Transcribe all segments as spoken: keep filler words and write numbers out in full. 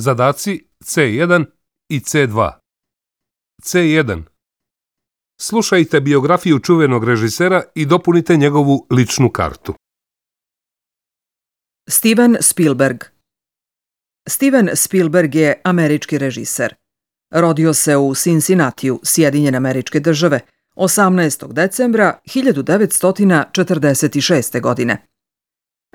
Zadaci C jedan i C dva. C jedan. Slušajte biografiju čuvenog režisera i dopunite njegovu ličnu kartu. Steven Spielberg. Steven Spielberg je američki režiser. Rodio se u Cincinnatiju, Sjedinjene Američke Države, osamnaestog decembra hiljadu devetsto četrdeset šeste. godine.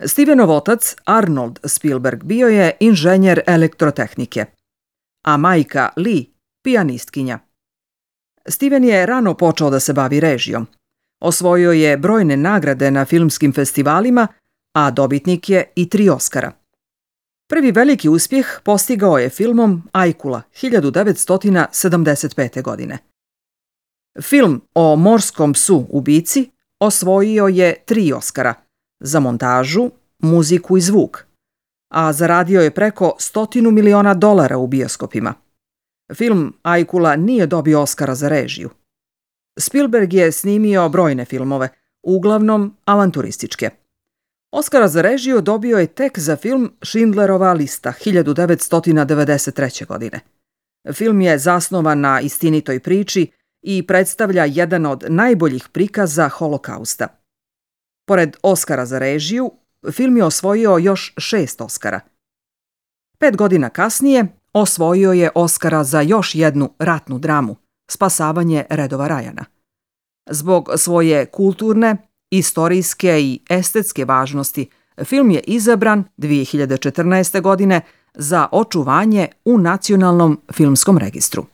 Stevenov otac, Arnold Spielberg, bio je inženjer elektrotehnike, a majka Lee pijanistkinja. Steven je rano počeo da se bavi režijom. Osvojio je brojne nagrade na filmskim festivalima, a dobitnik je i tri Oskara. Prvi veliki uspjeh postigao je filmom Ajkula hiljadu devetsto sedamdeset pete. godine. Film o morskom psu ubici osvojio je tri Oskara za montažu, muziku i zvuk, a zaradio je preko stotinu miliona dolara u bioskopima. Film Ajkula nije dobio Oskara za režiju. Spielberg je snimio brojne filmove, uglavnom avanturističke. Oskara za režiju dobio je tek za film Schindlerova lista hiljadu devetsto devedeset treće. godine. Film je zasnovan na istinitoj priči i predstavlja jedan od najboljih prikaza Holokausta. Pored Oskara za režiju, film je osvojio još šest Oskara. Pet godina kasnije osvojio je Oskara za još jednu ratnu dramu, Spasavanje redova Rajana. Zbog svoje kulturne, istorijske i estetske važnosti, film je izabran dvije hiljade četrnaeste. godine za očuvanje u Nacionalnom filmskom registru.